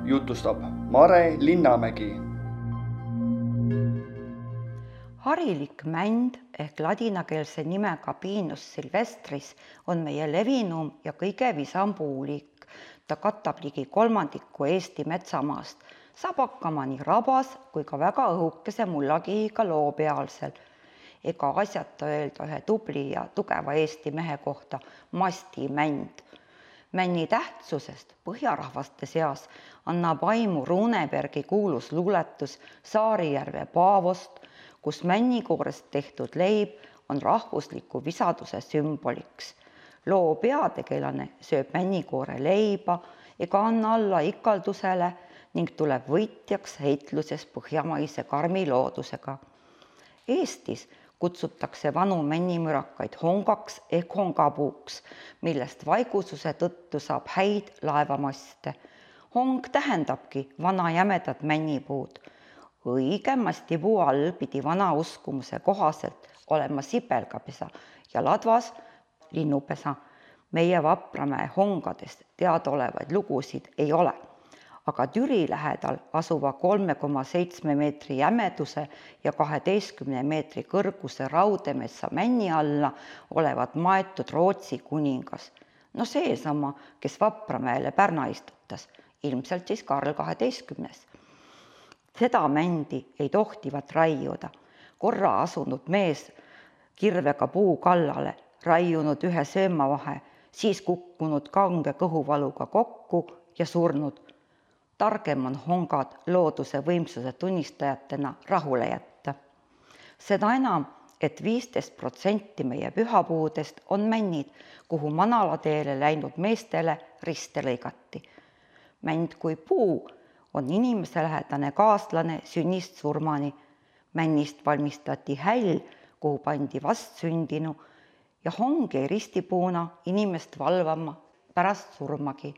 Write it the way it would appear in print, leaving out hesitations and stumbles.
jutustab Mare Linnamägi. Harilik mänd ehk ladinakeelse nimega Pinus silvestris on meie levinum ja kõige visam puuliik. Ta katab ligi 1/3 Eesti metsamaast, saab hakkama nii rabas kui ka väga õhukese mullakihiga loopealsel. Ega asjata öelda ühe tubli ja tugeva Eesti mehe kohta mastimänd. Männi tähtsusest põhjarahvaste seas annab aimu Runebergi kuulus luuletus Saarijärve Paavost, kus männikoorest tehtud leib on rahvusliku visaduse sümboliks. Loo peategelane sööb männikoore leiba ega anna alla ikaldusele ning tuleb võitjaks heitluses põhjamaise karmi loodusega. Eestis kutsutakse vanu männimürakaid hongaks ehk hongapuuks, millest vaigususe tõttu saab häid laevamaste. Hong tähendabki vana jämedat männipuud. Õige mastipuu all pidi vana uskumuse kohaselt olema sibelgapesa ja ladvas linnupesa. Meie Vapramäe hongadest teadaolevaid lugusid ei ole, aga Türi lähedal asuva 3,7 meetri jämeduse ja 12 meetri kõrguse Raudemetsa männi alla olevat maetud Rootsi kuningas. No seesama, kes Vapramäele pärna istutas, ilmselt siis Karl 12. Seda mändi ei tohtivat raiuda. Korra asunud mees kirvega puu kallale, raiunud ühe söömavahe, siis kukkunud kange kõhuvaluga kokku ja surnud. Targem on hongad looduse võimsuse tunnistajatena rahule jätta. Seda enam, et 15% meie pühapuudest on männid, kuhu manalateele läinud meestele riste lõigati. Mänd kui puu on inimeselähedane kaaslane sünnist surmani. Männist valmistati häll, kuhu pandi vastsündinu ja hong jäi ristipuuna inimest valvama pärast surmagi.